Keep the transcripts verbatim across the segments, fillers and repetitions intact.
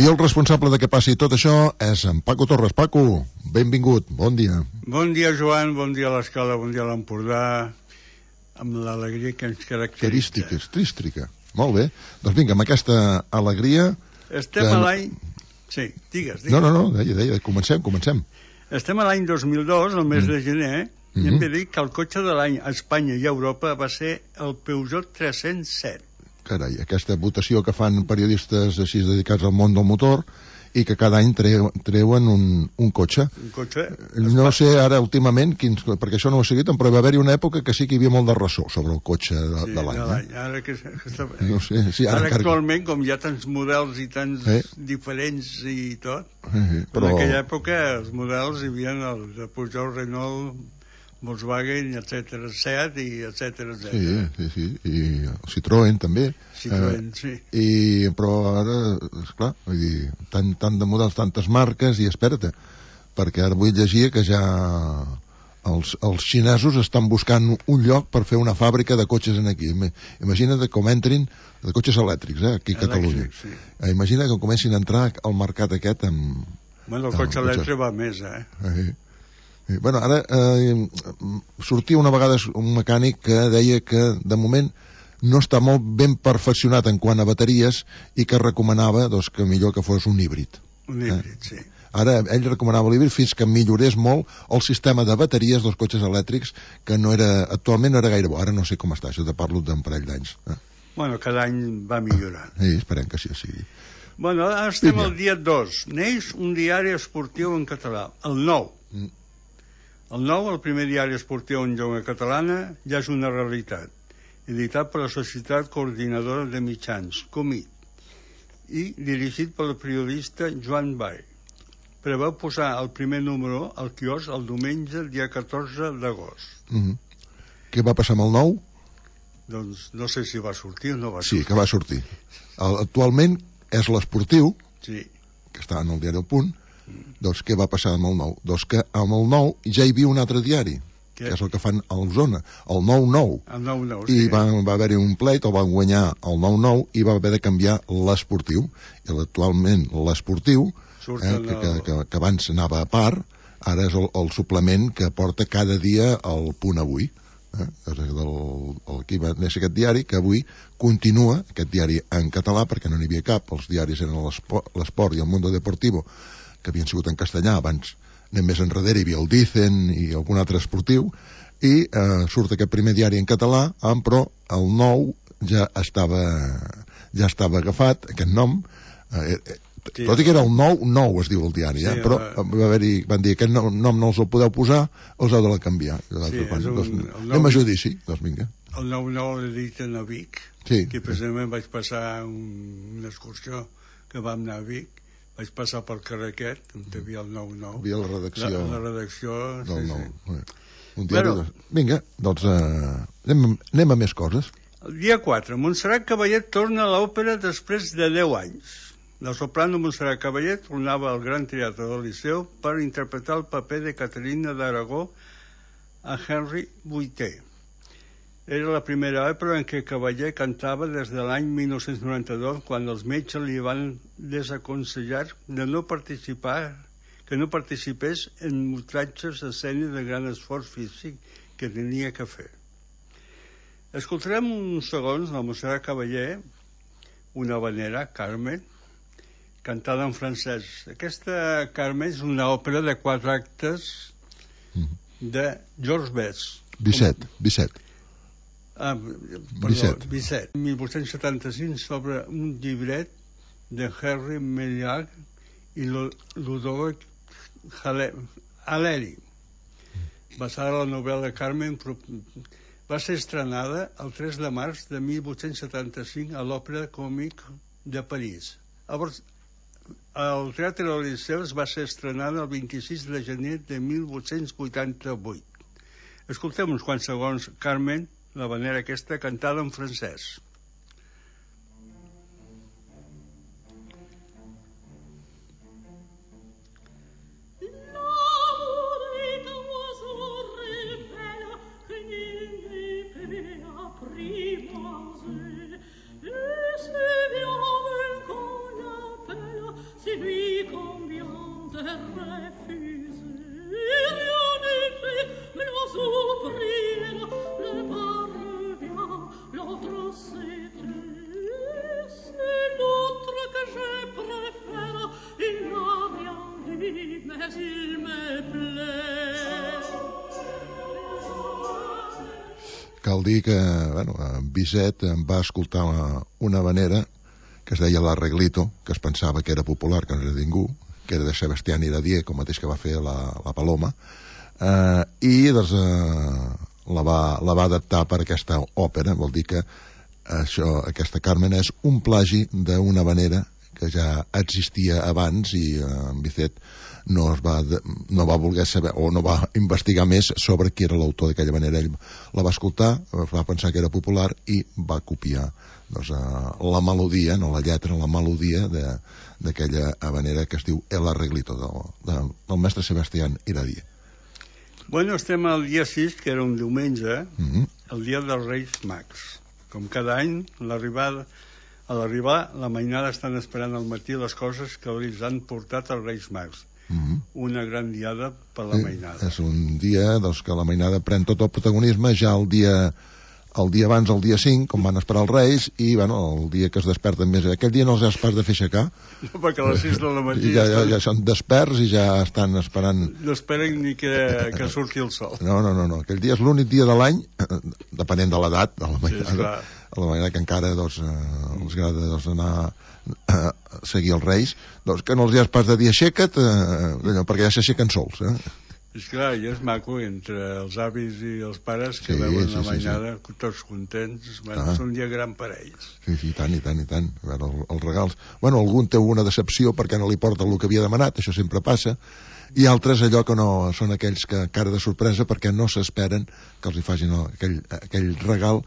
I el responsable de que passi tot això és en Paco Torres. Paco, benvingut, bon dia. Bon dia, Joan, bon dia a l'Escala, bon dia a l'Empordà, amb l'alegria que ens caracteritza. Carística, trística. Molt bé. Doncs vinga, amb aquesta alegria... Estem que... a l'any... Sí, digues, digues. No, no, no, deia, deia, comencem, comencem. Estem a l'any dos mil dos, el mes mm. de gener, mm-hmm. i hem de dir que el cotxe de l'any a Espanya i a Europa va ser el Peugeot tres-cents set. Carai, aquesta votació que fan periodistes així dedicats al món del motor i que cada any treu, treuen un, un cotxe. Un cotxe? No sé ara últimament, quins, perquè això no ho he seguit, però va haver-hi una època que sí que hi havia molt de ressò sobre el cotxe de, sí, de l'any. Eh? Ara, que, que està... no sé, sí, ara, ara actualment, com hi ha tants models i tants eh? diferents i tot, eh, però... en aquella època els models hi havia els de Peugeot, Renault, Volkswagen, etcètera, Seat i etcètera, etcètera. Sí, sí, sí, i el Citroën també. Citroën, eh, sí. I, però ara, esclar, vull dir, tant, tant de models, tantes marques, i espera't, perquè ara vull llegir que ja els, els xinesos estan buscant un lloc per fer una fàbrica de cotxes en aquí. Imagina't com entrin de cotxes elèctrics, eh, aquí a Catalunya. Elèctric, sí. Eh, imagina't que comencin a entrar al mercat aquest amb... Bueno, el cotxe elèctric va més, eh? Eh, Bueno, ara eh, sortia una vegada un mecànic que deia que de moment no està molt ben perfeccionat en quant a bateries i que recomanava doncs, que millor que fos un híbrid. Un híbrid, eh? Sí. Ara ell recomanava l'híbrid fins que millorés molt el sistema de bateries dels cotxes elèctrics, que no era, actualment no era gaire bo. Ara no sé com està, això te parlo d'un parell d'anys. Eh? Bueno, cada any va millorant. Sí, esperem que així sigui. Bueno, ara estem al dia dos. Neix un diari esportiu en català, el Nou. Mm. El Nou, el primer diari esportiu en llengua catalana, ja és una realitat, editat per la Societat Coordinadora de Mitjans, Comit, i dirigit pel periodista Joan Vall. Preveu posar el primer número al quiosc el diumenge, el dia catorze d'agost. Mm-hmm. Què va passar amb el Nou? Doncs no sé si va sortir o no va sortir. Sí, que va sortir. El, actualment és l'Esportiu, sí. que està en el diari El Punt. Doncs què va passar amb el Nou? Doncs que amb el Nou ja hi havia un altre diari, què? Que és el que fan a Osona, el nou nou. El nou nou, I sí. va, va haver-hi un pleit, el van guanyar el nou nou i va haver de canviar l'Esportiu. I actualment l'Esportiu, eh, que, que, que, que abans anava a part, ara és el, el suplement que porta cada dia el Punt Avui. Eh? El, el que va néixer aquest diari, que avui continua, aquest diari en català, perquè no n'hi havia cap, els diaris eren l'Esport i el Mundo Deportivo, que havien sigut en castellà. Abans anem més enrere, hi havia el Dicen i algun altre esportiu, i eh, surt aquest primer diari en català, però el Nou ja estava ja estava agafat, aquest nom, eh, eh, sí, tot i que era el Nou nou es diu el diari, eh? Sí, però va haver-hi, van dir aquest nom no els el podeu posar, els heu de la canviar. Sí, un, doncs, anem a judici, doncs vinga. El nou nou l'editen a Vic, sí, que precisament sí. Vaig passar un, una excursió que vam anar a Vic, vaig passar pel carrer aquest, on hi havia el nou nou. Hi havia la redacció. La, la redacció, del sí, nou. sí. Un diari, bueno, de... Vinga, doncs uh, anem, anem a més coses. El dia quatre, Montserrat Caballé torna a l'òpera després de deu anys. La soprano Montserrat Caballé tornava al Gran Teatre del Liceu per interpretar el paper de Caterina d'Aragó a Henry vuitè. Era la primera òpera en què Caballé cantava des de l'any mil nou-cents noranta-dos, quan els metges li van desaconsellar de no participar, que no participés en mostratges d'escena de gran esforç físic que tenia que fer. Escoltarem uns segons de Montserrat Caballé, una habanera, Carmen, cantada en francès. Aquesta Carmen és una òpera de quatre actes de Georges Best. Bizet, Bizet. Ah, perdó, Bizet. mil vuit-cents setanta-cinc, sobre un llibret de Henri Méliès i Ludovic Haléry, basada en la novel·la Carmen. Va ser estrenada el tres de març de mil vuit-cents setanta-cinc a l'Òpera Comique de París. Llavors, el Teatre del Liceu va ser estrenada el vint-i-sis de gener de mil vuit-cents vuitanta-vuit. Escoltem uns quants segons Carmen, la manera aquesta, cantada en francès. cal dir que, bueno, en Bizet em va escoltar una, una habanera que es deia l'Arreglito, que es pensava que era popular, que no era ningú, que era de Sebastián Iradier, com mateix que va fer la, la Paloma, eh, i doncs, eh, la, va, la va adaptar per aquesta òpera. Vol dir que això, aquesta Carmen és un plagi d'una habanera que ja existia abans, i eh, en Bizet no, es va, no va voler saber o no va investigar més sobre qui era l'autor d'aquella manera. Ell la va escoltar, va pensar que era popular i va copiar, doncs, la melodia, no la lletra, la melodia d'aquella habanera que es diu El Arreglito, del, del, del mestre Sebastián Iradier. Bueno, estem al dia sis, que era un diumenge, Mm-hmm. el dia dels Reis Mags. Com cada any, l'arribada a l'arribar, la mainada estan esperant al matí les coses que els han portat els Reis Mags. Mm-hmm. Una gran diada per la mainada. És un dia doncs, que la mainada pren tot el protagonisme ja el dia, el dia abans, el dia cinc, com van esperar els Reis, i bueno, el dia que es desperten més. Aquell dia no els has pas de fer aixecar. No, perquè a les sis de la matí ja, ja, estan... ja són desperts i ja estan esperant... No esperen ni que, que surti el sol. No, no, no, no. Aquell dia és l'únic dia de l'any, depenent de l'edat de la mainada, sí, a la manera que encara doncs, eh, els agrada doncs, anar a seguir els Reis, doncs que no els hi has pas de dir aixeca't, eh, perquè ja s'aixequen sols. Eh? És clar, i és maco entre els avis i els pares que sí, veuen sí, la mainada sí, sí. tots contents. Bueno, ah. És un dia gran per ells. Sí, sí, i tant, i tant, i tant. A veure, el, els regals... Bueno, algun té una decepció perquè no li porta el que havia demanat, això sempre passa, i altres allò que no són aquells que cara de sorpresa perquè no s'esperen que els hi facin aquell, aquell regal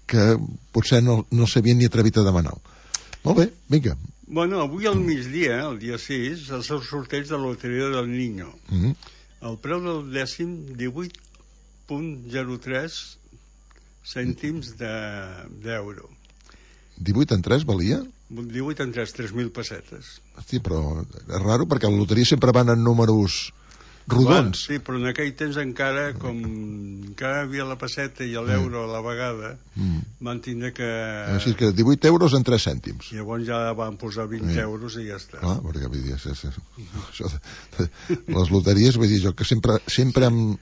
que potser no, no s'havien ni atrevit a demanar. Molt bé, vinga. Bueno, avui al migdia, el dia sis, és el sorteig de la loteria del Niño. Mm-hmm. El preu del dècim, divuit coma zero tres cèntims d'euro. divuit en tres valia? divuit en tres, tres mil pessetes. Hosti, però és raro perquè a la loteria sempre van en números rodons. Clar, sí, però en aquell temps encara, com encara havia la pesseta i l'euro a la vegada, mm. van tindre que... Així que divuit euros en tres cèntims. Llavors ja van posar vint sí. euros i ja està. Clar, perquè vull dir, és, és, és, això de, de, les loteries, vull dir, jo que sempre, sempre em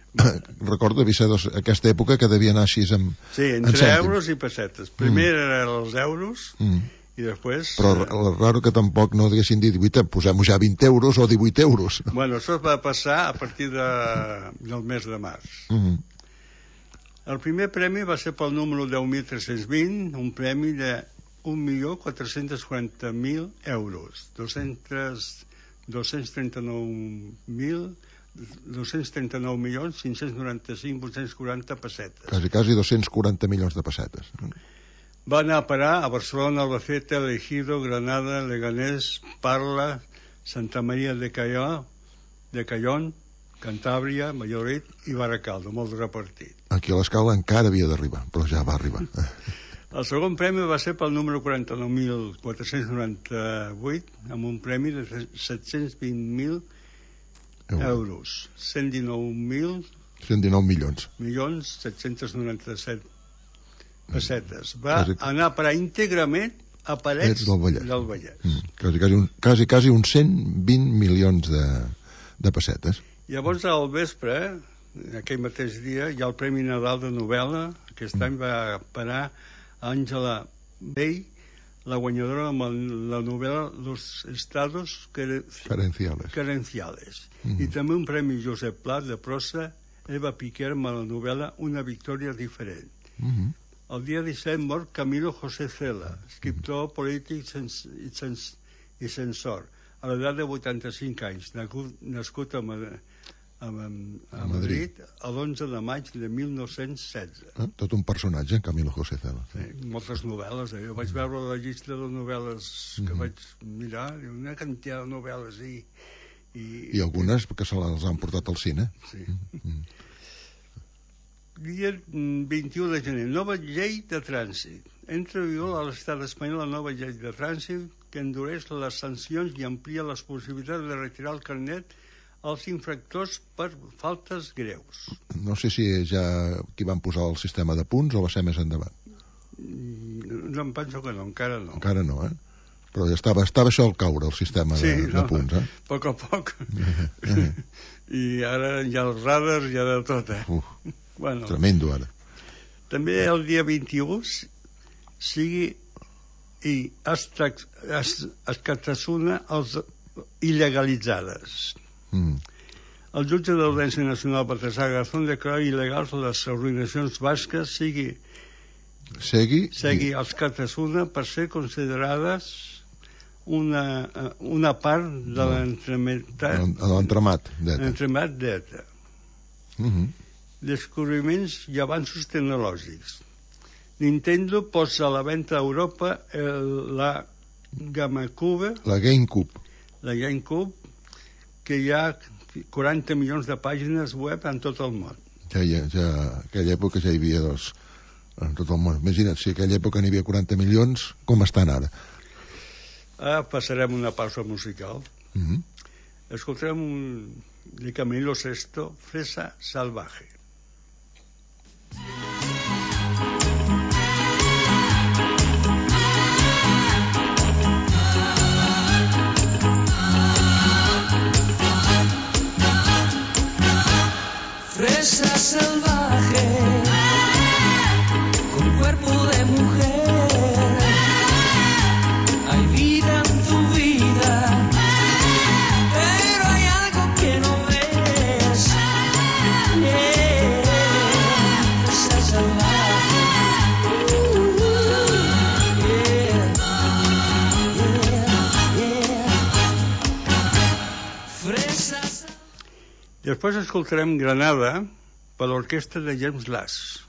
recordo d'haver dos, aquesta època que devia anar així amb sí, entre euros i pessetes. Primer mm. eren els euros... Mm. I després... Però és raro que tampoc no haguessin dit divuit, posem-ho ja vint euros o divuit euros. Bueno, això va passar a partir de, del mes de març. Mm-hmm. El primer premi va ser pel número deu mil tres-cents vint, un premi de un milió quatre-cents quaranta mil euros, dos-cents trenta-nou mil dos-cents trenta-nou milions cinc-cents noranta-cinc mil vuit-cents quaranta pessetes. Quasi, quasi dos-cents quaranta milions de pessetes. Va anar a parar a Barcelona, Albacete, Ejido, Granada, Leganés, Parla, Santa Maria de Calló, de Callón, Cantàbria, Valladolid i Baracaldo, molt repartit. Aquí a l'escala encara havia d'arribar, però ja va arribar. El segon premi va ser pel número quaranta-nou mil quatre-cents noranta-vuit, amb un premi de set-cents vint mil euros, cent dinou mil... cent dinou milions. Milions set-cents noranta-set pessetes. Va quasi, anar a parar íntegrament a Parets del Vallès. Del Vallès. Mm, quasi, quasi, un, quasi, quasi uns cent vint milions de, de pessetes. Llavors, al vespre, aquell mateix dia, hi ha el Premi Nadal de novel·la. Aquest mm. any va parar Àngela Bey, la guanyadora amb la novel·la Los Estados Carenciales. Carenciales. Mm. I també un Premi Josep Pla de prosa, Eva Piquer amb la novel·la Una victòria diferent. Mm-hmm. El dia disset mor Camilo José Cela, escriptor, polític sens, i, sens, i censor, a l'edat de vuitanta-cinc anys, nascut a, a, a, a Madrid l'onze de maig de mil nou-cents setze. Eh? Tot un personatge, Camilo José Cela. Sí, moltes novel·les. Eh? Jo vaig veure la llista de novel·les que mm-hmm. vaig mirar, una quantitat de novel·les i... I, I algunes que se les han portat al cine. Sí. Mm-hmm. Dia vint-i-u de gener, nova llei de trànsit. Entra en vigor a l'estat espanyol la nova llei de trànsit que endureix les sancions i amplia les possibilitats de retirar el carnet als infractors per faltes greus. No sé si ja qui van posar el sistema de punts o va ser més endavant. No, em penso que no, encara no. Encara no, eh? Però ja estava, estava això al caure, el sistema sí, de, no, de punts, eh? A poc a poc. I ara hi ha els radars, hi ha de tot, eh? Uf. Bueno, tremendo ara. També el dia vint-i-u sigui i Escatasuna els il·legalitzades. Mm. El jutge de l'Audiència Nacional Baltasar Garzón declara il·legals les arruïnacions basques sigui Segui, segui els Catasuna per ser considerades una, una part de l'entremat l'entremat d'Eta. Mm-hmm. Descobriments i avanços tecnològics. Nintendo posa a la venda a Europa el, la GameCube, la GameCube, la GameCube, que hi ha quaranta milions de pàgines web en tot el món. Ja, ja, ja, en aquella època ja hi havia dos en tot el món. Imagina't, si en aquella època n'hi havia quaranta milions, com estan ara? Ara passarem una pausa musical. Mm-hmm. Escoltarem un de Camilo Sesto, Fresa Salvaje. Fresa salvaje, con cuerpo de mujer, hay vida en tu vida, pero hay algo que no ves. Yeah. Fresa salvaje, uh, yeah. Yeah. Yeah. Fresa salvaje. Després escoltarem Granada per l'orquestra de James Last.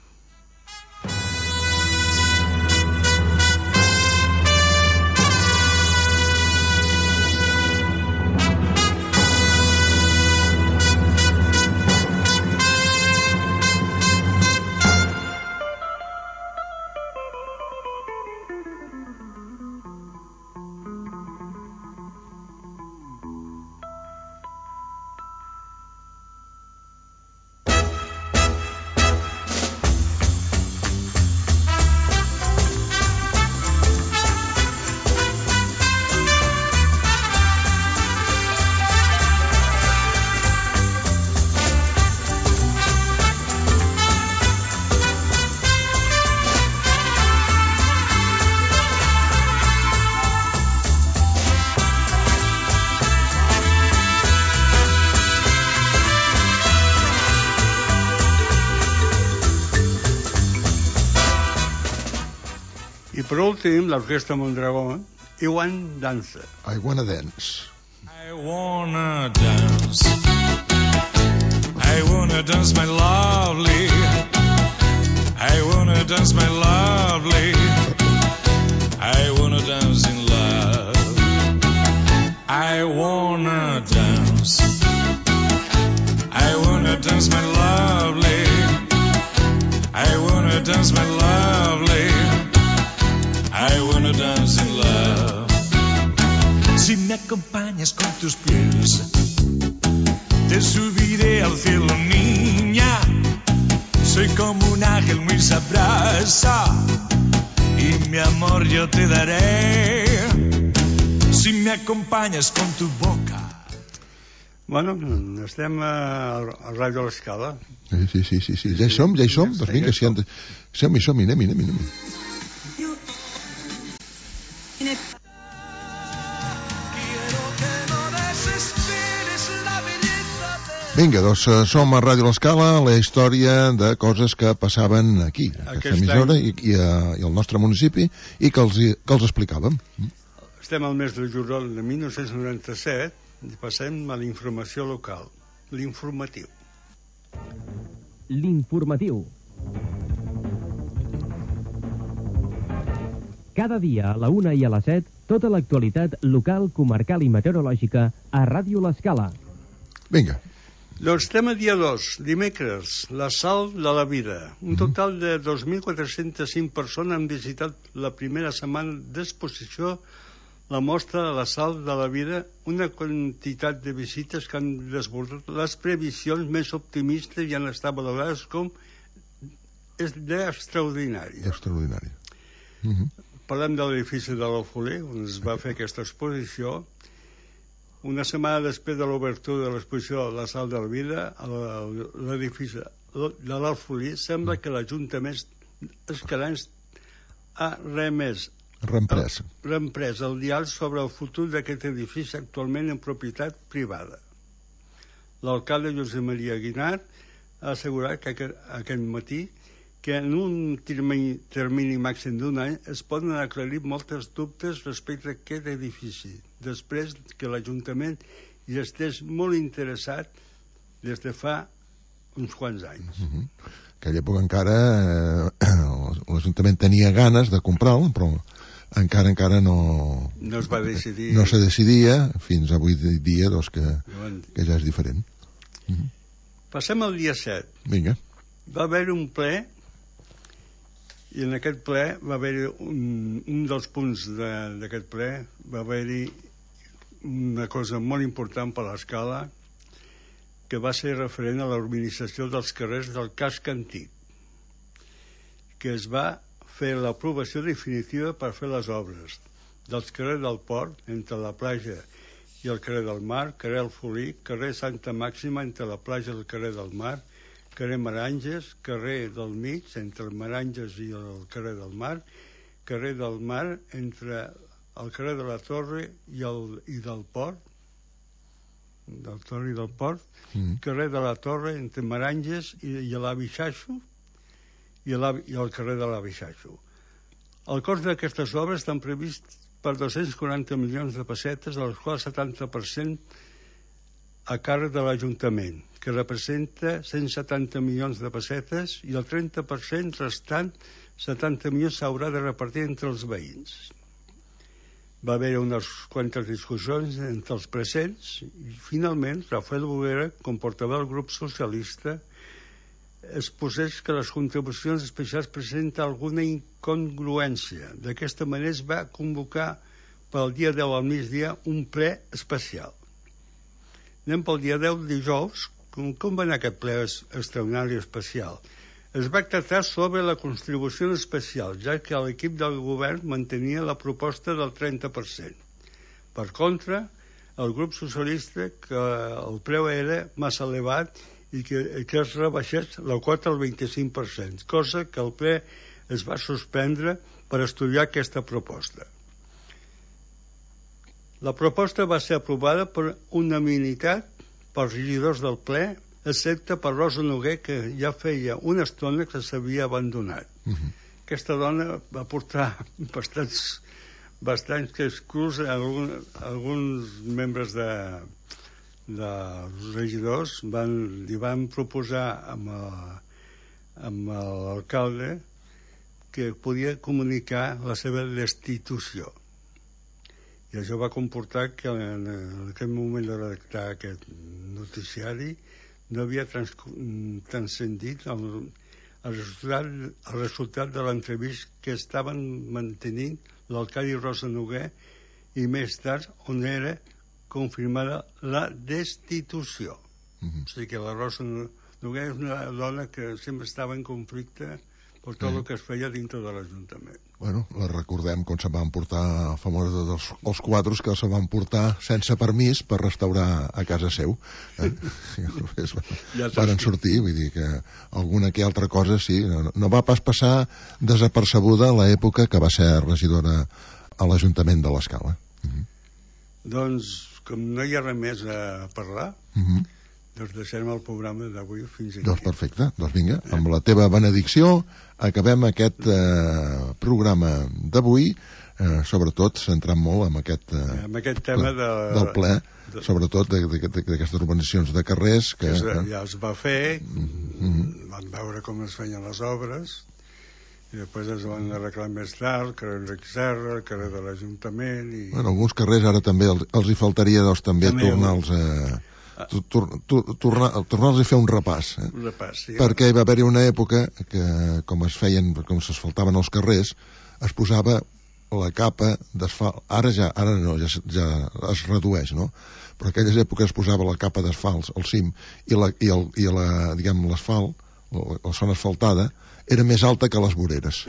I per últim, l'orquestra Mondragón, I Want Dance. I Wanna Dance. I wanna dance. I wanna dance, my lovely. I wanna dance, my lovely. I wanna dance in love. I wanna dance. I wanna dance, my lovely. I wanna dance, my lovely. I wanna dance in love. Si me acompañas con tus pies, te subiré al cielo, niña. Soy como un ángel muy sabrosa y mi amor yo te daré. Si me acompañas con tu boca. Bueno, estem a, a Ràdio L'Escala. Sí, sí, sí, sí, sí. Ja hi som, ja hi som. Doncs vinga, si han de... Som-hi, som-hi, anem-hi, anem-hi, anem-hi. Vinga, doncs som a Ràdio L'Escala, la història de coses que passaven aquí, a aquesta emissora i, i, a, i al nostre municipi, i que els, que els explicàvem. Estem al mes de juliol de mil nou-cents noranta-set i passem a la informació local, l'informatiu. L'informatiu. Cada dia a la una i a les set, tota l'actualitat local, comarcal i meteorològica a Ràdio L'Escala. Vinga. Doncs tema dia dos, dimecres, la Sal de la Vida. Un total de dos mil quatre-cents cinc persones han visitat la primera setmana d'exposició la mostra de la Sal de la Vida, una quantitat de visites que han desbordat les previsions més optimistes i han estat valorades com d'extraordinari. Extraordinari. Uh-huh. Parlem de l'edifici de l'Alfolí, on es va fer aquesta exposició. Una setmana després de l'obertura de l'exposició de la Sal de la Vida, l'edifici de l'Alfolí, sembla que l'Ajuntament Escalanys ha remès Reemprès. reemprès el diàleg sobre el futur d'aquest edifici actualment en propietat privada. L'alcalde Josep Maria Guinart ha assegurat que aquest, aquest matí que en un termini, termini màxim d'un any es poden aclarir moltes dubtes respecte a aquest edifici, després que l'Ajuntament hi estés molt interessat des de fa uns quants anys. Uh -huh. En aquella època encara eh, l'Ajuntament tenia ganes de comprar-lo, però encara encara no... No es va decidir... No se decidia, fins avui dia, doncs, que, que ja és diferent. Uh -huh. Passem al dia set. Vinga. Va haver un ple, i en aquest ple va haver un, un dels punts d'aquest de, ple, va haver-hi una cosa molt important per l'Escala, que va ser referent a l'urbanització dels carrers del casc antic, que es va fer l'aprovació definitiva per fer les obres dels carrers del Port, entre la platja i el carrer del Mar, carrer El Folí, carrer Santa Màxima, entre la platja i el carrer del Mar, carrer Maranges, carrer del Mig, entre el Maranges i el carrer del Mar, carrer del Mar, entre el carrer de la Torre i, el, i del Port, del Torre i del Port, mm. carrer de la Torre, entre Maranges i, i l'Avi Xaixo, i, i el carrer de l'Avi Xaixo. El cost d'aquestes obres estan previst per dos-cents quaranta milions de pessetes, dels quals setanta per cent a càrrec de l'Ajuntament, que representa cent setanta milions de pessetes, i el trenta per cent restant, setanta milions, s'haurà de repartir entre els veïns. Va haver unes quantes discussions entre els presents i finalment Rafael Bruguera, com portaveu del grup socialista, exposés que les contribucions especials presenten alguna incongruència. D'aquesta manera es va convocar pel dia deu al migdia un ple especial. Anem pel dia deu, dijous. Com, com va anar aquest ple extraordinari especial? Es va tractar sobre la contribució especial, ja que l'equip del govern mantenia la proposta del trenta per cent. Per contra, el grup socialista, que el preu era massa elevat i que, que es rebaixés la quota al vint-i-cinc per cent, cosa que el ple es va suspendre per estudiar aquesta proposta. La proposta va ser aprovada per unanimitat pels regidors del ple, excepte per Rosa Noguer, que ja feia una estona que s'havia abandonat. Uh -huh. Aquesta dona va portar bastants, bastants exclus a algun, alguns membres de, dels regidors van, li van proposar amb, el, amb l'alcalde que podia comunicar la seva destitució. I això va comportar que en, en aquell moment de redactar aquest noticiari no havia trans, transcendit el, el, resultat, el resultat de l'entrevista que estaven mantenint l'alcalde Rosa Noguer, i més tard on era confirmada la destitució. Mm-hmm. O sigui que la Rosa Noguer és una dona que sempre estava en conflicte per tot mm. el que es feia dintre de l'Ajuntament. Bueno, la recordem com se van portar famosos dels, els quadros que se van portar sense permís per restaurar a casa seu. Eh? ja van sortir, vull dir que alguna que altra cosa sí, no, no va pas passar desapercebuda l'època que va ser regidora a l'Ajuntament de l'Escala. Mm-hmm. Doncs, com no hi ha res més a parlar, mm-hmm. doncs deixem el programa d'avui fins aquí. Doncs perfecte, doncs vinga, amb la teva benedicció acabem aquest eh, programa d'avui, eh, sobretot centrant molt en aquest, eh, amb aquest tema ple, de, del ple, de, sobretot d'aquestes urbanizacions de carrers que, que es, eh, ja es va fer, mm-hmm. van veure com es feien les obres i després es van arreglar més tard, el carrer Enric Serra, el carrer de l'Ajuntament i... Bueno, alguns carrers ara també els, els hi faltaria doncs, també, també tornar-los a... Tornar-los tornar a fer un repàs, eh? un repàs sí, perquè hi va haver-hi una època que com es feien, com s'asfaltaven els carrers, es posava la capa d'asfalt, ara ja ara no, ja, ja es redueix, no? Però en aquelles èpoques es posava la capa d'asfalt al cim i la, i el, i la, diguem, l'asfalt, la, la zona asfaltada era més alta que les voreres.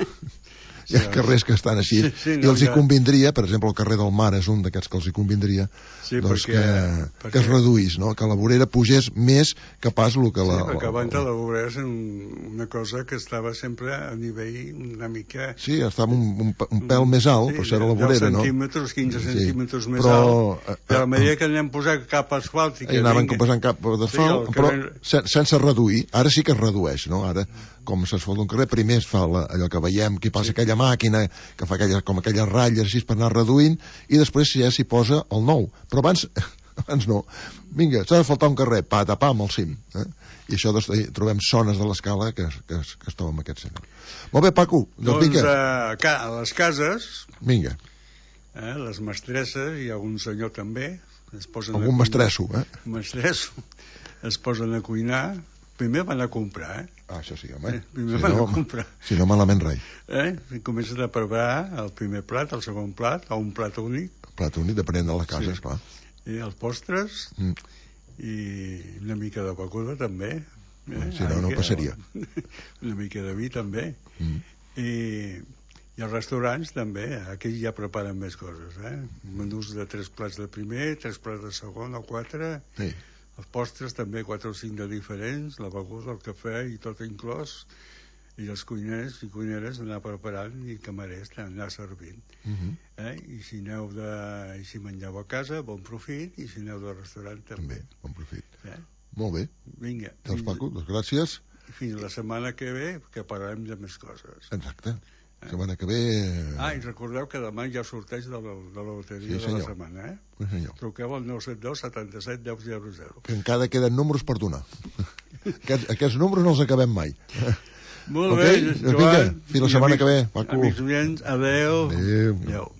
hi ha carrers que estan així, Sí, sí, i no, els hi ja. convindria, per exemple, el carrer del Mar és un d'aquests que els hi convindria, Sí, doncs perquè- que, perquè- que es reduís, no? Que la vorera pugés més que pas el que Sí, la... perquè la- abans la vorera és un, una cosa que estava sempre a nivell una mica... Sí, estava un, un, un pèl més alt, però això era la vorera, no? deu centímetres, quinze Sí, centímetres més però, alt, eh, però a eh, mesura que anem posant cap asfalt i que Hi anaven vinga- posant cap d'asfalt, Sí, el però carrer- sen sense reduir. Ara sí que es redueix, no? Ara, com s'asfalta un carrer, primer es fa la, allò que veiem, que passa sí. aquella màquina, que fa aquella, com aquelles ratlles així per anar reduint, i després ja s'hi posa el nou. Però abans, abans no. Vinga, s'ha de faltar un carrer, pa, tapar amb el cim. Eh? I això doncs, trobem zones de l'escala que, que, que es troben en aquest sentit. Molt bé, Paco, doncs, Doncs vinga. a, ca- a les cases, Vinga, eh, les mestresses, i algun senyor també, es posen a algun cuinar. mestresso, eh? Mestresso, es posen a cuinar, primer van a comprar, eh? Ah, això sí, home. Sí, primer Si van no, a comprar. si no, malament rai. Eh? I comencen a preparar el primer plat, el segon plat, o un plat únic, Plat únic, depenent de la casa, Sí. esclar. i els postres, Mm. i una mica de beguda també. Eh? Si no, no Aigua, passaria. Una mica de vi també. Mm. I, i els restaurants també, aquí ja preparen més coses, eh? Menús de tres plats de primer, tres plats de segon o quatre, Sí. els postres també quatre o cinc de diferents, la beguda, el cafè i tot inclòs, i els cuiners i cuineres anar preparant i camarers anar servint. Mm -hmm. Eh? I si aneu de... I si mengeu a casa, bon profit, i si aneu del restaurant també. També, bon profit. Eh? Molt bé. Vinga, Doncs, fins, Paco, doncs gràcies. fins la setmana que ve, que parlarem de més coses. Exacte. La setmana que ve... Ah, i recordeu que demà hi ha sorteig de la, de la loteria Sí, de la senyor. setmana, eh? Sí, senyor. Truqueu al nou set dos setanta-set deu zero zero. Que encara queden números per donar. aquests, aquests números no els acabem mai. Molt Ok? bé, Doncs Joan. vinga, fins la i setmana amics- que ve, Paco. Amics oients, adeu. Adéu. Adéu.